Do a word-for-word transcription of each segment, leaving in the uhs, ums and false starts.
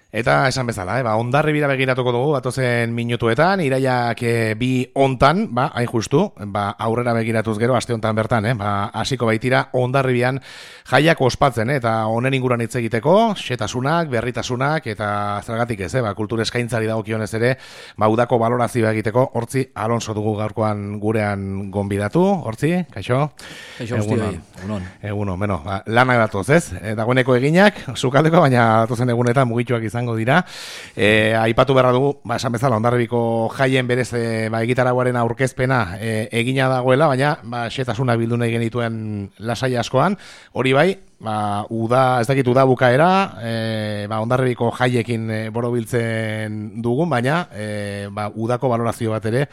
Eta esan bezala, eh, ba, Hondarribira begiratuko dugu datozen minutuetan, iraiak e, bi hontan, ba, hain justu, ba, aurrera begiratuz gero, aste hontan bertan, eh, ba, hasiko baitira Hondarribian jaiak ospatzen, eh, eta honen inguruan hitz egiteko, xetasunak, berritasunak, eta zergatik ez, eh, ba, kultur eskaintzari dagokionez ere, ba, udako balorazioa egiteko, Hortzi Alonso dugu gaurkoan gurean gonbidatu, Hortzi, kaixo? Kaixo, guztioi, egunon. Egunon, bueno, ba, lanak datoz, ez? E, dagoeneko eginak, sukaldeko, baina datozen egunetan mugituak izango dira. E, aipatu beharra dugu, ba, esan bezala, Hondarribiko jaien berez e, ba, egitaragoaren aurkezpena e, egina dagoela, baina ba, xetasuna bildu nahi genituen lasai askoan, hori bai, ba, uda, ez dakit uda bukaera, e, ba, Hondarribiko jaiekin e, borobiltzen dugun, baina e, ba, udako balorazio bat ere,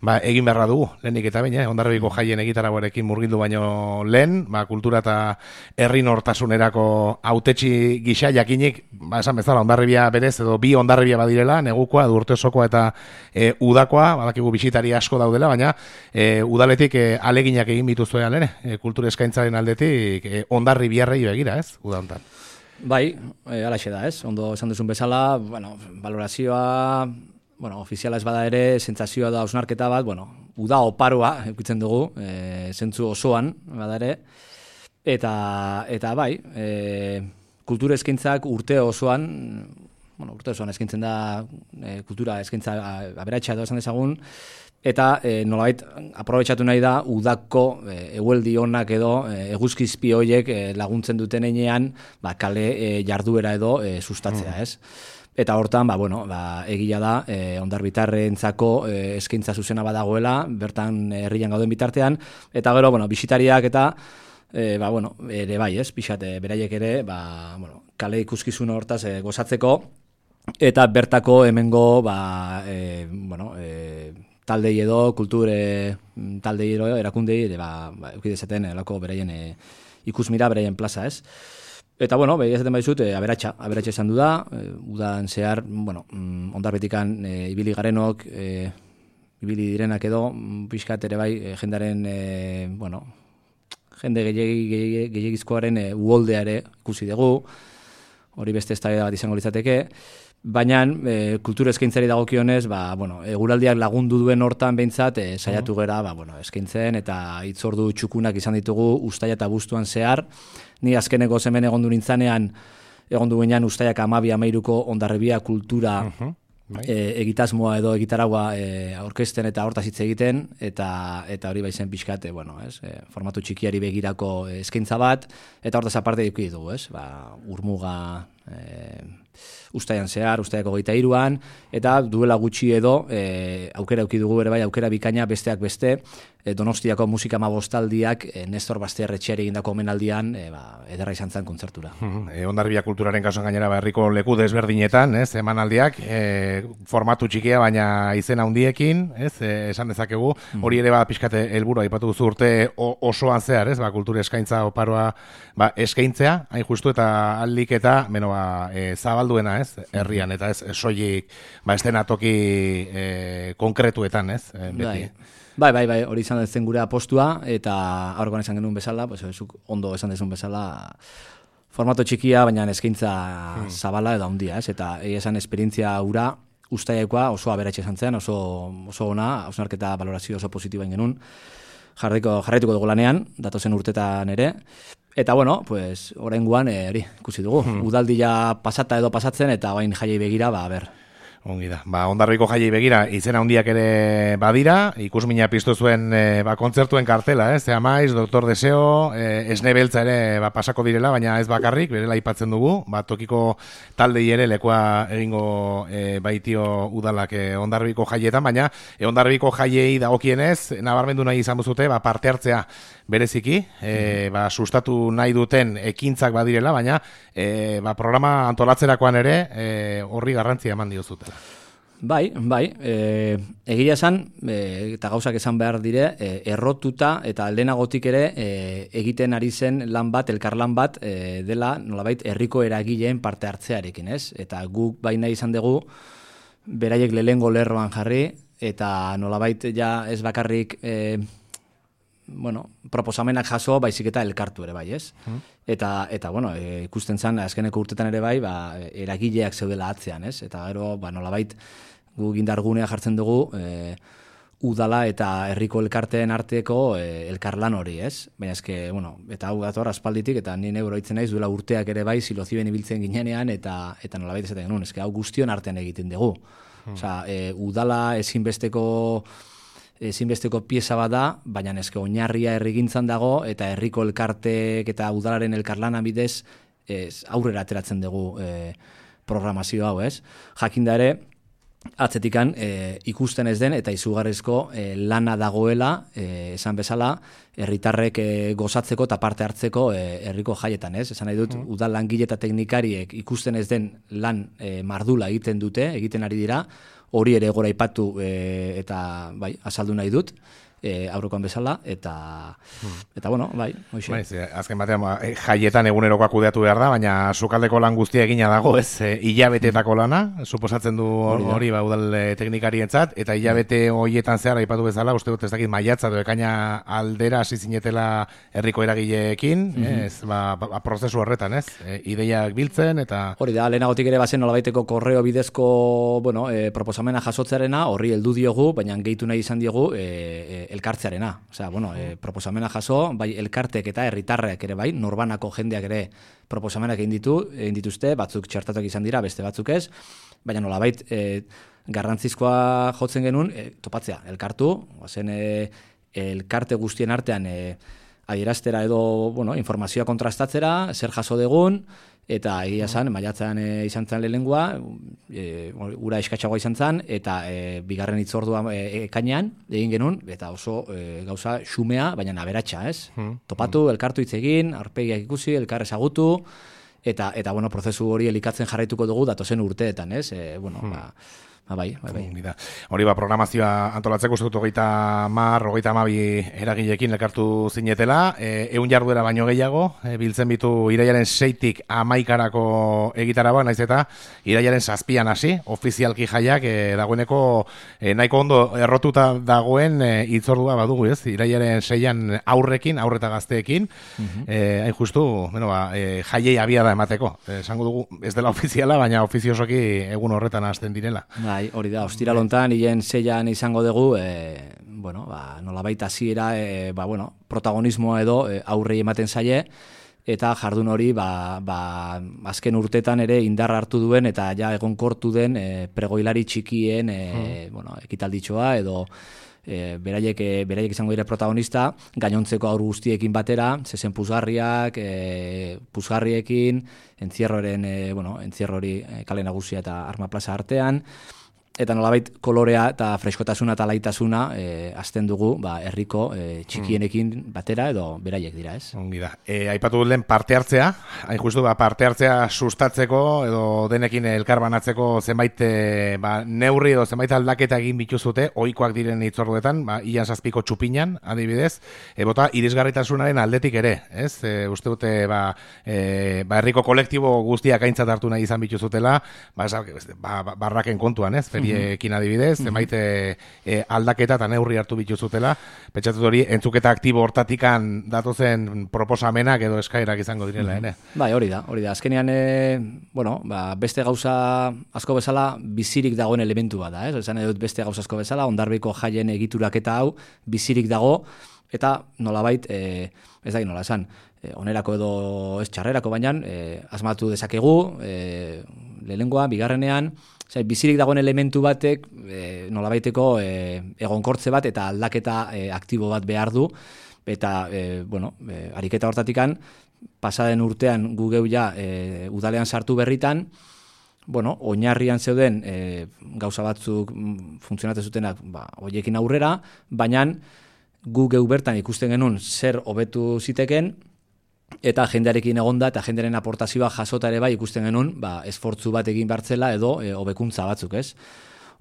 ba, egin beharra dugu, lehenik eta baina, eh? Hondarribiko jaien egitaragoarekin murgildu baino lehen, ba, kultura eta herri nortasunerako hautetsi gisa jakinik, ba, esan bezala, Hondarribia berez, edo bi Hondarribia badirela, negukoa, edo urteosokoa eta e, udakoa, badakigu bisitari asko daudela, baina e, udaletik e, aleginak egin bituzuean ere, e, kultura eskaintzaren aldetik, e, Hondarribiarrei begira, ez, uda hontan. Bai, e, alaxe da, ez, ondo esan duzun bezala, bueno, valorazioa, bueno, ofiziala ez bada ere, sentsazioa da hausnarketa bat, bueno, uda oparoa eukitzen dugu, e, zentzu osoan bada ere, eta, eta bai, e, kultura eskaintzak urte osoan, bueno, urte osoan eskaintzen da e, kultura eskaintza aberatsa edo esan dezagun, eta e, nolabait aprobetxatu nahi da udako e, egueldi onak edo e, eguzkizpi horiek e, laguntzen duten heinean, ba, kale e, jarduera edo e, sustatzea, ez? Eta hortan, ba, bueno, ba, egia da, e, hondarbitarrentzako e, eskaintza zuzena badagoela, bertan herrian gauden bitartean, eta gero, bueno, bisitariak eta, e, ba, bueno, ere bai, ez, pixat, e, beraiek ere, ba, bueno, kale ikuskizun hortaz e, gozatzeko, eta bertako hemengo, ba, e, bueno, e, taldei edo, kulture taldei edo, erakundei, ere, ba, ba eukidezaten, elako beraien e, ikusmira, beraien plaza, ez? Eta, bueno, behi ezaten baizut, e, aberatxa, aberatxa esan du da, e, udan zehar, bueno, mm, Hondarribetikan e, ibili garenok, e, ibili direnak edo, pixkat ere bai, e, jendaren, e, bueno, jende gehiagizkoaren e, uholdea ere ikusi dugu, hori beste eztabaida bat izango litzateke, baina e, kultura eskaintzari dagokionez, ba, bueno, eguraldiak lagundu duen hortan behintzat, e, saiatu gera, ba, bueno, eskaintzen, eta hitzordu txukunak izan ditugu ustaia eta abuztuan zehar. Ni azkeneko hemen egondu nintzanean, egondu ginean ustaiak amabi amairuko Hondarribia kultura uh-huh. e, egitasmoa edo egitaragua e, aurkezten eta hortaz hitz egiten, eta eta hori baizen pixkate, bueno, ez, e, formatu txikiari begirako eskaintza bat, eta hortaz aparte eduki dugu, ez, ba, urmuga e, ustaian zehar, ustaiako hogeita hiruan, eta duela gutxi edo e, aukera eduki dugu ere bai, aukera bikaina besteak beste, e, Donostiako musika hamabostaldiak e, Nestor Basterretxeari egindako omenaldian e, ba, ederra izan zen kontzertura. E, Hondarribia kulturaren kasuan gainera ba, herriko leku desberdinetan, ez, emanaldiak, e, formatu txikia baina izen handiekin, ez, e, esan dezakegu, hori ere ba pixkate helburua aipatu duzu urte osoan zehar, ez, ba, kultura eskaintza oparoa ba, eskaintzea, hain justu eta aldik eta, beno, ba, e, zabalduena, ez, herrian, eta ez, soilik, ba, estenatoki e, konkretuetan, ez, e, beti. Bai, bai, bai, hori izan zen gure apostua, eta aurrekoan esan genuen bezala, pues, ondo esan dezun bezala, formato txikia, baina eskaintza hmm. zabala edo handia, ez, eta esan esperientzia ura, ustaiakoa oso aberatxe izan zen, oso, oso ona, hausnarketa balorazio oso positiboen genuen, jarriko, jarraituko dugu lanean, datozen urtetan ere, eta bueno, pues, oraingoan hori eh, ikusi dugu, hmm. udaldia pasata edo pasatzen, eta bain jaiei begira, ba, ber, Ongi da. Ba, Hondarribiko jaiei begira, izena handiak ere badira, ikusmina piztu zuen e, ba, kontzertuen kartela, eh? Zea maiz, Doktor Deseo, e, Esne Beltza ere ba, pasako direla, baina ez bakarrik, berela aipatzen dugu, ba, tokiko taldei ere lekoa egingo e, baitio udalak e, Hondarribiko jaietan, baina e, Hondarribiko jaiei dagokienez, nabarmendu nahi izan buzute, ba, parte hartzea bereziki, e, ba, sustatu nahi duten ekintzak badirela, baina e, ba, programa antolatzerakoan ere e, horri garrantzia eman diozutela. Bai, bai, e, egia esan, e, eta gauzak esan behar dire, e, errotuta eta lehenagotik ere e, egiten ari zen lan bat, elkarlan bat, e, dela nolabait herriko eragileen parte hartzearekin, ez? Eta guk baina izan dugu, beraiek lehengo lerroan jarri, eta nolabait ja ez bakarrik... E, bueno, proposamenak jaso, baizik eta elkartu ere bai, ez? Mm. Eta, eta bueno, e, ikusten zen, azkeneko urtetan ere bai, ba, eragileak zeudela atzean, ez? Eta gero, ba, nolabait, gu gindargunea jartzen dugu, e, udala eta herriko elkarteen arteko e, elkarlan hori, ez? Baina eske, bueno, eta hau dator aspalditik, eta ni neuro hitzen naiz, duela urteak ere bai, siloziben ibiltzen ginenean, eta, eta nolabait esaten genuen, eske hau guztion artean egiten dugu. Hmm. Osea, e, udala ezinbesteko ezinbesteko pieza bat da, baina eske oinarria herrigintzan dago, eta herriko elkartek eta udalaren elkarlana bidez ez, aurrera ateratzen dugu e, programazio hau, ez? Jakinda ere, atzetikan e, ikusten ez den eta izugarrizko e, lana dagoela, e, esan bezala, herritarrek e, gozatzeko eta parte hartzeko e, herriko jaietan, ez? Esan nahi dut, mm. udal langile eta teknikariek ikusten ez den lan e, mardula egiten dute, egiten ari dira, hori ere gora ipatu e, eta bai, azaldu nahi dut, e, aurrekoan bezala, eta, hmm. eta bueno, bai, hoxe. Bai, ze, azken batean, jaietan egunerokoa kudeatu behar da, baina sukaldeko lan guztia egina dago, ez, e, hilabeteetako lana, suposatzen du hori ba, udal teknikarientzat, eta hilabete horietan zehar aipatu bezala, uste dut ez dakit maiatza edo ekaina aldera hasi zinetela herriko eragileekin, mm-hmm. ez, ba, ba, prozesu horretan, ez, e, ideiak biltzen, eta... Hori da, lehenagotik ere bazen nolabaiteko korreo bidezko, bueno, e, proposamena jasotzarena, horri heldu diogu, baina gehitu nahi izan diogu, e, e, elkartzearena. Osea, bueno, e, proposamena jaso, bai elkartek eta herritarrek ere bai, norbanako jendeak ere proposamenak egin ditu, egin dituzte, batzuk txertatuak izan dira, beste batzuk ez, baina nolabait e, garrantzizkoa jotzen genuen, e, topatzea, elkartu, zen e, elkarte guztien artean e, adieraztera edo, bueno, informazioa kontrastatzera, zer jaso degun, eta egia zan, maiatzean e, izan zen lehenengoa, e, ura eskatxagoa izan zen, eta e, bigarren hitzordua e, ekainean, egin genuen, eta oso e, gauza xumea, baina aberatsa, ez? Hmm. Topatu, elkartu hitz egin, aurpegiak ikusi, elkar ezagutu, eta, eta bueno, prozesu hori elikatzen jarraituko dugu datozen urteetan, ez? E, bueno, hmm. ba, ba, bai, bai, bai. Hori ba, programazioa antolatzeko uste dut hogeita mar, hogeita amabi eragilekin elkartu zinetela, e, eun jarduera baino gehiago, e, biltzen bitu irailaren seitik amaikarako egitaraba, naiz eta irailaren zazpian hasi, ofizialki jaiak e, dagoeneko e, nahiko ondo errotuta dagoen e, itzordua badugu, ez? Irailaren seian aurrekin, aurreta gazteekin, uh-huh. e, hain justu, bueno, ba, e, jaiei abia da emateko. E, esango dugu, ez dela ofiziala, baina ofiziosoki egun horretan hasten direla. Bai, hori da, ostiralontan, hilen zeian izango dugu, e, bueno, ba, nolabait hasiera, e, ba, bueno, protagonismoa edo e, aurrei ematen zaie, eta jardun hori, ba, ba, azken urtetan ere indarra hartu duen, eta ja egonkortu den e, pregoilari txikien e, hmm. bueno, ekitalditxoa, edo e, beraiek, e, beraiek izango dire protagonista, gainontzeko aur guztiekin batera, zezen puzgarriak, e, puzgarriekin, entzierroren, e, bueno, entzierro hori e, kale nagusia eta Arma Plaza artean, eta nolabait kolorea eta freskotasuna eta laitasuna e, azten dugu ba, herriko e, txikienekin batera edo beraiek dira, ez? Ongi da. E, aipatu dut lehen parte hartzea, hain justu ba, parte hartzea sustatzeko edo denekin elkar banatzeko zenbait e, ba, neurri edo zenbait aldaketa egin bituzute, ohikoak diren hitzorduetan, ba, ian zazpiko txupinan, adibidez, e, bota irisgarritasunaren aldetik ere, ez? E, uste dute ba, e, ba, herriko kolektibo guztiak aintzat hartu nahi izan bituzutela, ba, ba, ba, barraken kontuan, ez? Ekin adibidez, zenbait e, aldaketa eta neurri hartu bituzutela, pentsatu hori entzuketa aktibo hortatikan datozen proposamenak edo eskaerak izango direla, ere? Bai, hori da, hori da. Azkenean, e, bueno, ba, beste gauza asko bezala bizirik dagoen elementu bat da, ez? Esan edut beste gauza asko bezala, Hondarribiko jaien egituraketa hau bizirik dago, eta nolabait, e, ez da nola esan, e, onerako edo ez txarrerako baina, e, asmatu dezakegu, e, lehenengoa, bigarrenean, Zai, bizirik dagoen elementu batek e, nolabaiteko e, egonkortze bat eta aldaketa e, aktibo bat behar du, eta e, bueno, e, ariketa hortatikan pasaden urtean gu geu ja e, udalean sartu berritan, bueno, oinarrian zeuden e, gauza batzuk funtzionatzen zutenak ba, hoiekin aurrera, baina gu geu bertan ikusten genuen zer hobetu ziteken, eta jendearekin egonda eta jendearen aportazioa jasota ere bai ikusten genuen, ba, esfortzu bat egin bartzela edo e, hobekuntza batzuk, ez?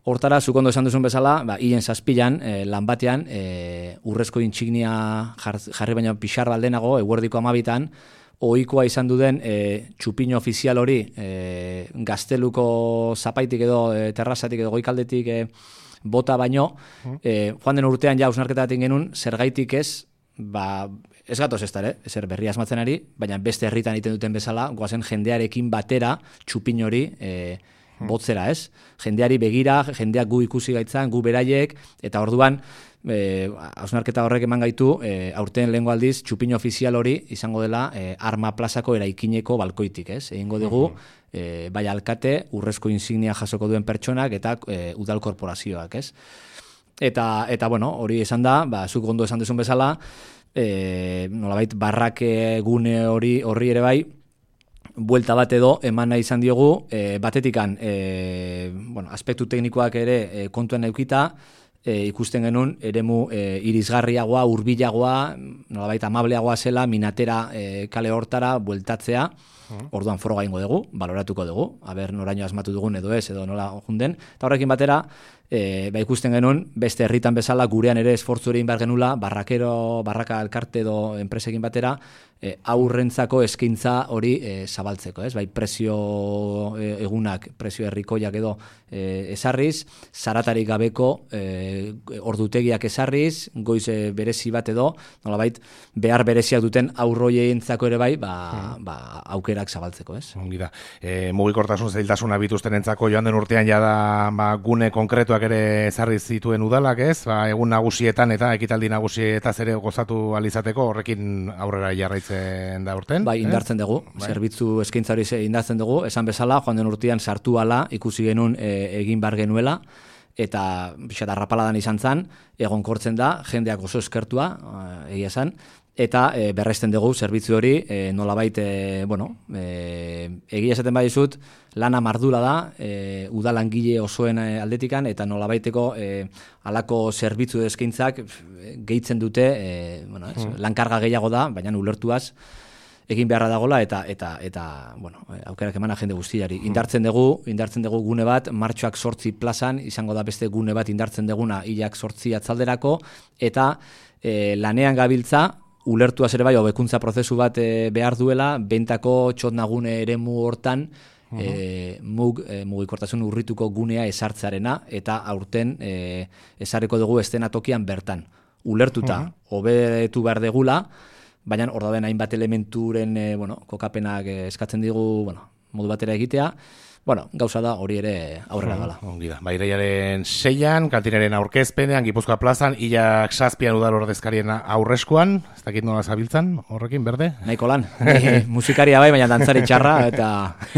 Hortara, zuk ondo esan duzun bezala, ba, hien zazpilan, e, lan batean, e, urrezko intsignia jar, jarri baina pixar baldenago, eguerdiko amabitan, ohikoa izan duden e, txupino ofizial hori, e, gazteluko zapaitik edo, e, terrazatik edo goikaldetik e, bota baino, e, joan den urtean ja hausnarketa baten genuen, zergaitik ez, ba, ez gatoz ez dara, ezer berria asmatzen ari, baina beste herritan egiten duten bezala, goazen jendearekin batera txupin hori e, botzera, ez? Jendeari begira, jendeak gu ikusi gaitzan, gu beraiek, eta orduan, E, hausnarketa horrek eman gaitu, e, aurten lehengo aldiz, txupin ofizial hori izango dela e, Arma Plazako eraikineko balkoitik, ez? Egingo dugu, e, bai alkate, urrezko insignia jasoko duen pertsonak eta e, udal korporazioak, ez? Eta, eta bueno, hori esan da, ba, zuk ondo esan duzun bezala, e, nolabait, barrake gune hori horri ere bai, buelta bat edo eman nahi izan diogu, e, batetikan, e, bueno, aspektu teknikoak ere e, kontuen eukita, E, ikusten genuen eremu e, irisgarriagoa, hurbilagoa, nolabait amableagoa zela, minatera e, kale hortara bueltatzea, orduan foroga ingo dugu, baloratuko dugu, aber noraino asmatu dugun edo ez, edo nola junden, eta horrekin batera, e, ba ikusten genuen, beste herritan bezala, gurean ere esfortzu egin behar genula, barrakero, barraka elkarte edo enpresekin batera, e, aurrentzako eskaintza hori e, zabaltzeko, ez? Bai, prezio e, egunak, prezio herrikoiak edo e, esarriz, zaratarik gabeko e, ordutegiak esarriz, goiz e, berezi bat edo, nolabait, behar bereziak duten aurroientzako ere bai, ba, hmm. ba, aukerak zabaltzeko, ez? Ongi da. E, mugikortasun zailtasuna bituztenentzako joan den urtean jada ba, gune konkretuak ere ezarri zituen udalak, ez? Ba, egun nagusietan eta ekitaldi nagusietaz ere gozatu alizateko horrekin aurrera jarraitzen da urten. Bai, indartzen dugu. Bai. Zerbitzu eskaintza hori indartzen dugu. Esan bezala, joan den urtean sartu ala ikusi genuen e, egin bar genuela eta pixat arrapaladan izan zan, egonkortzen da, jendeak oso eskertua, egia esan, eta e, berresten dugu zerbitzu hori e, nolabait, e, bueno, e, egia esaten badizut, lana mardula da, e, udalangile osoen aldetikan, eta nolabaiteko e, alako zerbitzu eskaintzak gehitzen dute, e, bueno, ez, hmm. lankarga gehiago da, baina ulertuaz, egin beharra dagola eta eta eta bueno, aukerak emana jende guztiari. Indartzen dugu, indartzen dugu gune bat martxoak zortzi plazan, izango da beste gune bat indartzen duguna hilak zortzi atzalderako, eta e, lanean gabiltza, ulertuaz ere bai, hobekuntza prozesu bat e, behar duela, bentako txotnagune eremu hortan, uh-huh. e, mug, e, mugikortasun urrituko gunea esartzarena, eta aurten e, esarriko dugu estenatokian bertan. Ulertuta, hobetu uh-huh. behar degula, baina hor dauden hainbat elementuren e, bueno, kokapenak e, eskatzen digu bueno, modu batera egitea, bueno, gauza da hori ere aurrera gala. Ongi da. Ba, irailaren seian, kantinaren aurkezpenean, Gipuzkoa plazan, hilak zazpian udal ordezkarien aurreskuan, ez dakit nola zabiltzan, horrekin, berde? Nahiko lan. E, musikaria bai, baina dantzari txarra, eta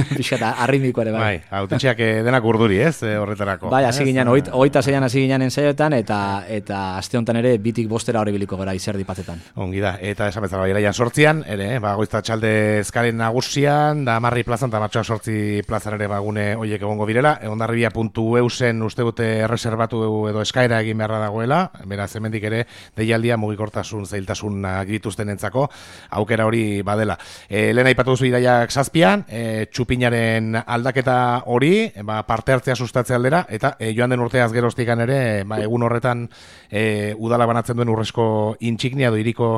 pixka arritmiko ere bai. Bai, autetxeak denak urduri, ez, horretarako. Bai, hasi ginen, oita zeian hasi ginen ensaioetan, eta eta aste honetan ere bitik bostera hori biliko gara izerdi patetan. Ongi da, eta esan bezala, irailan sortzian, ere, ba, goizta txalde eskaren nagusian, da marri plazan, eta martxoak sortzi plazan ere gune horiek egongo direla, ondarribia puntu eusen uste dute erreserbatu edo eskaera egin beharra dagoela, beraz hemendik ere deialdia mugikortasun zailtasun agituzten entzako, aukera hori badela. E, lehen aipatu duzu iraiak zazpian, e, txupinaren aldaketa hori, ba, parte hartzea sustatzea aldera, eta e, joan den urteaz geroztikan ere, ba, egun horretan e, udala banatzen duen urrezko intsignia, edo iriko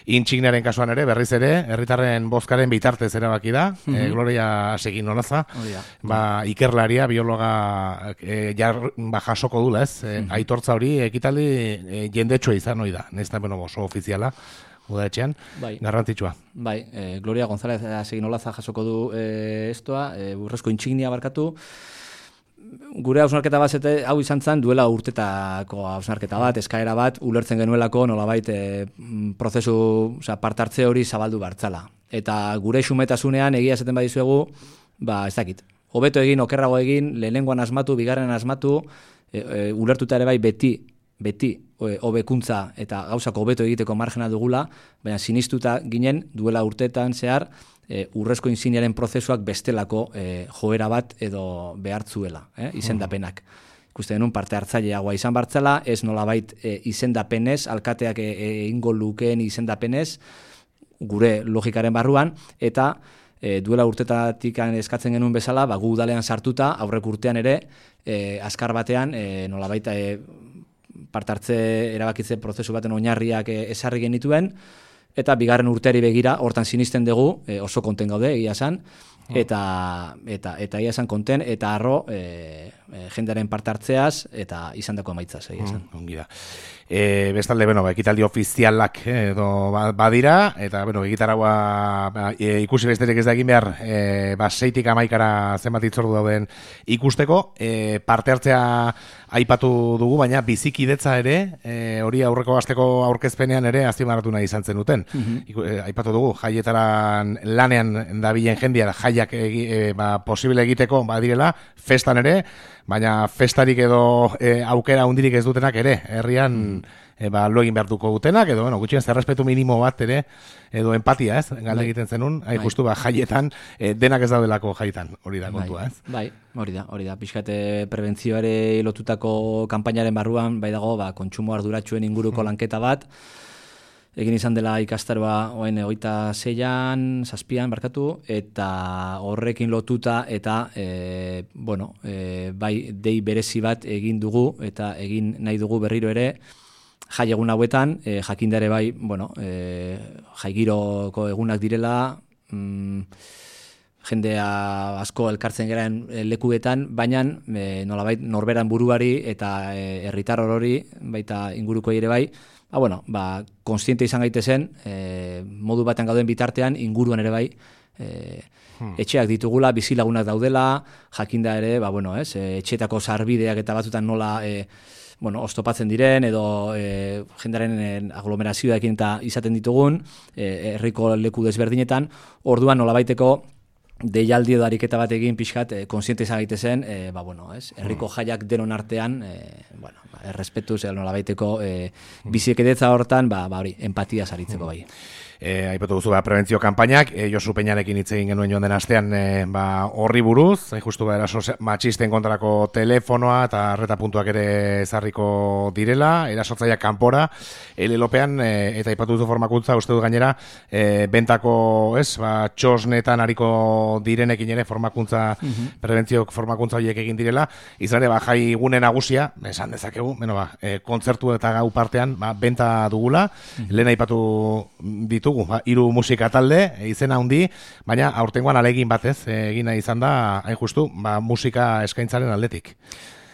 intsigniaren kasuan ere, berriz ere, herritarren bozkaren bitartez erabaki da, mm-hmm. e, Gloria segin nonaza, oh, yeah. ba, ikerlaria, biologa e, jar, ba, jasoko dula, ez? E, mm-hmm. Aitortza hori ekitaldi e, jendetsua izan hori da, nesta bueno, oso ofiziala, udaetxean, bai. Garrantzitsua. Bai, e, Gloria González Seginolaza jasoko du e, estoa, e, urrezko intsignia barkatu, gure hausnarketa bat hau izan zen duela urtetako hausnarketa bat, eskaera bat, ulertzen genuelako nolabait e, prozesu, oza, partartze hori zabaldu bartzala. Eta gure xumetasunean egia esaten badizuegu, ba, ez dakit, hobeto egin, okerrago egin, lehenengoan asmatu, bigarren asmatu, e, e, ulertuta ere bai beti, beti hobekuntza eta gauzako hobeto egiteko margena dugula, baina sinistuta ginen duela urteetan zehar, e, urrezko insigniaren prozesuak bestelako e, joera bat edo behartzuela, eh, izendapenak. Ikusten denun parte hartzaileagoa izan bartzala, ez nolabait e, izendapenez, alkateak egingo e, lukeen izendapenez, gure logikaren barruan, eta E, duela urtetatik eskatzen genuen bezala, ba, gu udalean sartuta, aurrek urtean ere, e, azkar batean, e, nolabait e, partartze erabakitze prozesu baten oinarriak e, esarri genituen, eta bigarren urteari begira, hortan sinisten dugu, e, oso konten gaude, egia esan, eta eta eta egia esan konten, eta arro, e, e, jendearen parte hartzeaz eta izandako emaitzaz, egia esan. Mm, ongi da. E, bestalde, bueno, ba, ekitaldi ofizialak edo badira, eta, bueno, egitaragua ba, e, ikusi besterik ez da egin behar, e, ba, seitik amaikara zenbat itzordu dauden ikusteko, e, parte hartzea aipatu dugu, baina bizikidetza ere, e, hori aurreko asteko aurkezpenean ere azpimarratu nahi izan zen duten. Mm-hmm. e, aipatu dugu, jaietaran lanean dabilen jendia, jaiak egi, e, ba, posible egiteko badirela, festan ere, baina festarik edo e, aukera hundirik ez dutenak ere, herrian e, ba, lo egin behar duko dutenak, edo, bueno, gutxien zerrespetu minimo bat ere, edo empatia, ez, galde egiten zenun, hain justu, ba, jaietan, e, denak ez daudelako jaietan, hori da kontua, ez? Bai, hori da, hori da, pixkate prebentzioare lotutako kanpainaren barruan, bai dago, ba, kontsumo arduratxuen inguruko hmm. lanketa bat, egin izan dela ikastaroa oen egoita zeian, zazpian, barkatu, eta horrekin lotuta, eta, e, bueno, e, bai, dei berezi bat egin dugu, eta egin nahi dugu berriro ere, jai egun hauetan, e, jakindare bai, bueno, e, jaigiroko egunak direla, mm, jendea asko elkartzen garen lekuetan, baina e, nolabait norberan buruari eta herritar e, orori, baita inguruko ere bai, ba, bueno, ba, konstiente izan gaitezen, e, modu batean gauden bitartean, inguruan ere bai, e, hmm. etxeak ditugula, bizilagunak daudela, jakinda ere, ba, bueno, ez, etxeetako sarbideak eta batzutan nola, e, bueno, oztopatzen diren, edo e, jendaren e, aglomerazioekin eta izaten ditugun, e, herriko leku desberdinetan, orduan nolabaiteko deialdi edo ariketa bat egin pixkat, e, konsiente izan gaitezen, e, ba, bueno, ez, herriko jaiak denon artean, e, bueno, ba, errespetuz, edo nolabaiteko e, bizikidetza hortan, ba, ba, hori, empatia saritzeko bai. E, aipatu duzu, ba, prebentzio kanpainak, e, Josu Peñarekin hitz egin genuen joan den astean, e, ba, horri buruz, e, justu ba, eraso matxisten kontrako telefonoa eta arreta puntuak ere ezarriko direla, erasotzaileak kanpora, elelopean, e, eta aipatu duzu formakuntza, uste dut gainera, e, bentako, ez, ba, txosnetan hariko direnekin ere formakuntza, uh-huh. prebentzio formakuntza horiek egin direla, izan ere, ba, jai gune nagusia, esan dezakegu, beno, ba, e, kontzertu eta gau partean, ba, benta dugula, uh-huh. lehen aipatu ditu Ba, hiru musika talde, izena handi, baina aurtengoan alegin batez, egina izan da, hain justu, ba, musika eskaintzaren aldetik.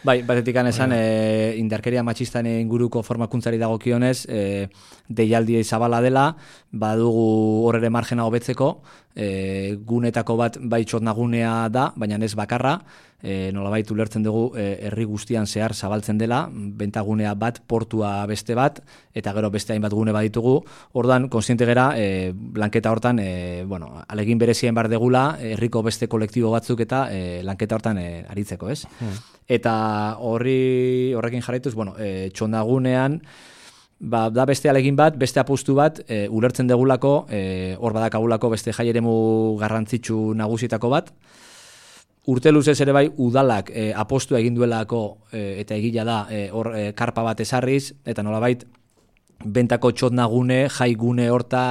Bai, batetik esan, e, indarkeria matxistan inguruko formakuntzari dagokionez, e, deialdi zabala dela, badugu horre margena hobetzeko, e, gunetako bat bai txotnagunea da, baina ez bakarra, e, nolabait ulertzen dugu e, herri guztian zehar zabaltzen dela, bentagunea bat, portua beste bat, eta gero beste hainbat gune baditugu, ordan konsiente gera, e, lanketa hortan, e, bueno, alegin berezien bar degula, herriko beste kolektibo batzuk eta e, lanketa hortan e, aritzeko, ez? Hmm. Eta horri horrekin jarraituz, bueno, e, txondagunean, ba, da beste alegin bat, beste apustu bat, e, ulertzen degulako, e, hor badakagulako beste jaieremu garrantzitsu nagusietako bat. Urte luzez ere bai, udalak e, apostua egin duelako e, eta egila da e, hor e, karpa bat ezarriz, eta nolabait, bentako txotnagune, jai gune horta,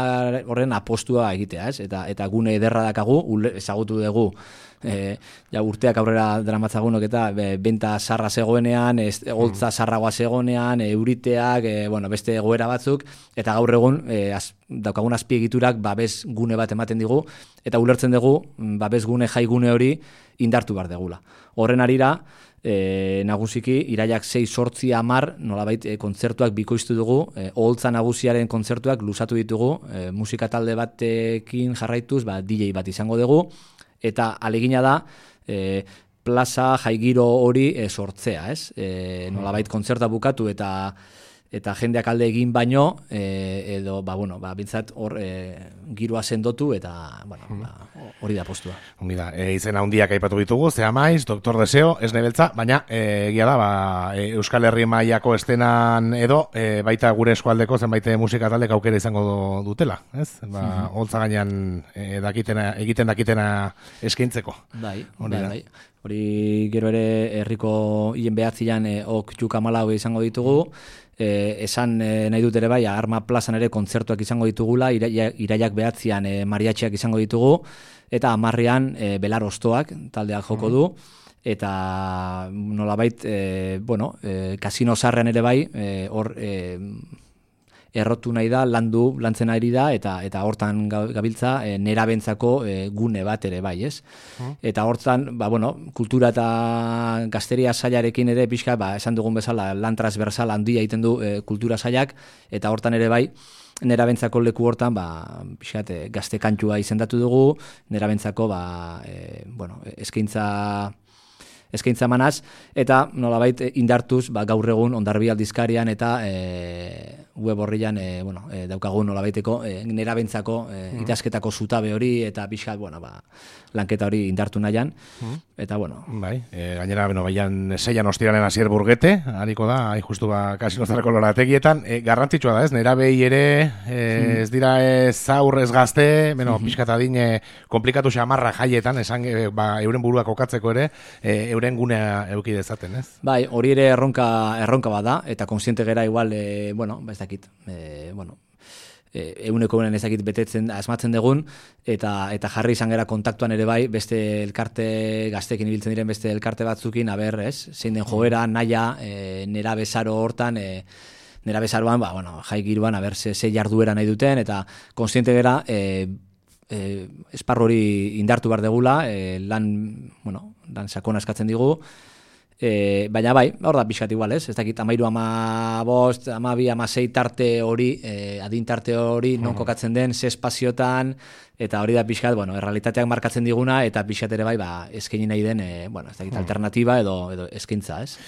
horren apostua egitea, ez? Eta, eta gune ederra dakagu, ezagutu dugu, E, ja, urteak aurrera dramatzagunok eta be, benta sarra zegoenean, holtza sarragoa zegoenean, e, euriteak, e, bueno, beste egoera batzuk, eta gaur egun e, az, daukagun azpiegiturak babes gune bat ematen digu, eta ulertzen dugu babes gune, jai gune hori indartu behar degula. Horren arira, e, nagusiki, iraiak sei sortzi amar, nolabait e, kontzertuak bikoiztu dugu, e, holtza nagusiaren kontzertuak luzatu ditugu, e, musika talde batekin jarraituz, ba, D J bat izango dugu, eta alegina da e, plaza jaigiro hori e, sortzea, ez? E, nolabait kontzerta bukatu eta eta jendeak alde egin baino, e, edo, ba, bueno, ba, bintzat hor e, giroa sendotu eta, bueno, ba, hori da postua. Ongi da, e, izena handiak aipatu ditugu, Zea Maiz, Doktor Deseo, ez nebeltza, baina e, egia da, ba, e, Euskal Herri mailako estenan edo, e, baita gure eskualdeko zenbait musika taldek aukera izango dutela, ez? Ba, holtza gainean e, dakitena, egiten dakitena eskaintzeko. Bai, bai, bai. Hori gero ere herriko hien behatzian e, ok juka malau izango ditugu, e, esan e, nahi dut ere bai, Arma plazan ere kontzertuak izango ditugula, iraia, iraiak behatzian e, mariatxeak izango ditugu, eta amarrean e, belar ostoak taldeak joko du, eta nolabait, e, bueno, e, kasino sarrean ere bai, hor e, errotu nahi da, landu, lantzen ari da, eta eta hortan gabiltza e, nerabentzako e, gune bat ere bai, ez? Mm. Eta hortan, ba, bueno, kultura eta gazteria sailarekin ere pixka, ba, esan dugun bezala, lan transversal handia egiten du e, kultura sailak, eta hortan ere bai, nerabentzako leku hortan, ba, pixkat, e, gazte kantua izendatu dugu, nerabentzako, ba, e, bueno, eskaintza eskaintza manaz, eta nolabait indartuz ba, gaur egun Hondarribia aldizkarian eta e, web horrian e, bueno, e, daukagun nolabaiteko e, nerabentzako e, mm. ikasketako zutabe hori eta pixkat, bueno, ba, lanketa hori indartu nahian, mm. eta bueno. Bai, e, gainera, beno, baian seian ostiralen Asier Burgete, hariko da, hain justu ba, kasinozarako lorategietan, e, garrantzitsua da ez, nerabei ere, e, mm. ez dira ez aur ez gazte, beno, mm-hmm. pixkat adine komplikatu xamarra jaietan, esan, e, ba, euren burua kokatzeko ere, e, euren gunea euki dezaten, ez? Bai, hori ere erronka, erronka bada, eta konsiente gera igual, e, bueno, ba ez dakit, e, bueno, e, euneko unen ez dakit betetzen, asmatzen dugun, eta eta jarri izan gera kontaktuan ere bai, beste elkarte, gaztekin ibiltzen diren beste elkarte batzukin, aber, ez? Zein den joera, naia, e, nera bezaro hortan, e, nera bezaroan, ba, bueno, jai giruan, aber, ze, ze jarduera nahi duten, eta konsiente gera, e, E, esparru hori indartu behar degula, e, lan, bueno, lan sakona eskatzen digu, e, baina bai, hor da pixkat igual, ez? Ez dakit, amairu, ama bost, ama bi, ama sei tarte hori, e, adin tarte hori, non kokatzen den, ze espaziotan, eta hori da pixkat, bueno, errealitateak markatzen diguna, eta pixkat ere bai, ba, eskaini nahi den, e, bueno, ez dakit, alternativa edo, edo eskaintza, ez?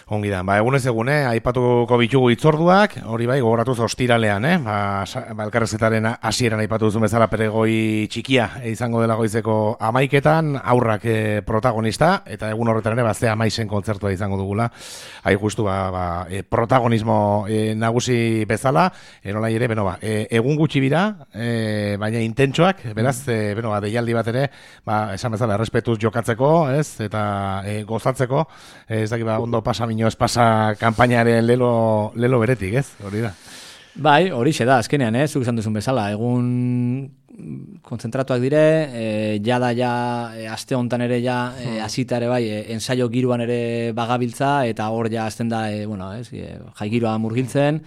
Ongi da, ba, egunez egune, aipatuko bitugu itzorduak, hori bai, gogoratuz ostiralean, eh? Ba, ba elkarrezetaren hasieran aipatu duzun bezala peregoi txikia izango dela goizeko amaiketan, aurrak e, protagonista, eta egun horretan ere, bazte amaisen kontzertua izango dugula, hai justu, ba, ba e, protagonismo e, nagusi bezala, e, nola ere, beno, ba, e, egun gutxi bira, e, baina intentsoak, beraz, e, beno, ba, deialdi bat ere, ba, esan bezala, errespetuz jokatzeko, ez, eta e, gozatzeko, e, ez dakit, ba, ondo pasamin ez pasa kanpainaren lelo, lelo beretik, ez? Hori da. Bai, hori xe da, azkenean, eh? Zuk esan duzun bezala, egun konzentratuak dire, e, jada ja, e, aste hontan ere ja, e, azita ere bai, e, ensaio giroan ere bagabiltza, eta hor ja azten da, e, bueno, ez, e, jai giroa murgiltzen,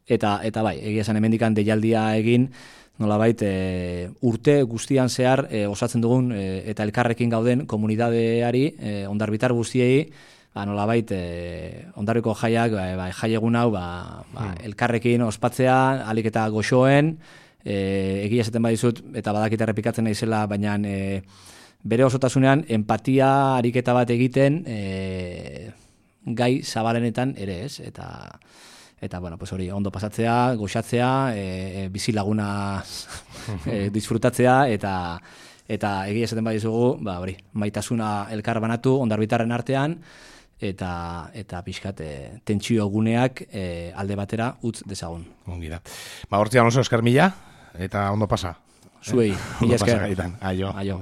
eta, eta bai, egia esan hemendikan deialdia egin, nolabait e, urte guztian zehar e, osatzen dugun, e, eta elkarrekin gauden komunidadeari, e, Hondarbitar guztiei, ba, nolabait, e, Hondarriko jaiak, ba, ba, jai egun hau, ba, ba, hmm. elkarrekin ospatzea, alik eta goxoen, e, egia esaten badizut, eta badakit errepikatzen naizela, baina e, bere osotasunean, empatia ariketa bat egiten, e, gai zabalenetan ere ez, eta, eta bueno, pues hori, ondo pasatzea, goxatzea, e, bizilaguna e, disfrutatzea, eta eta egia esaten badizugu, ba, hori, maitasuna elkar banatu, Hondarbitarren artean, eta eta pixkat e, tentsio guneak e, alde batera utz dezagun. Ongi da. Ba, hortzian oso esker mila, eta ondo pasa. Zuei, eh? Mila esker. Aio. Aio.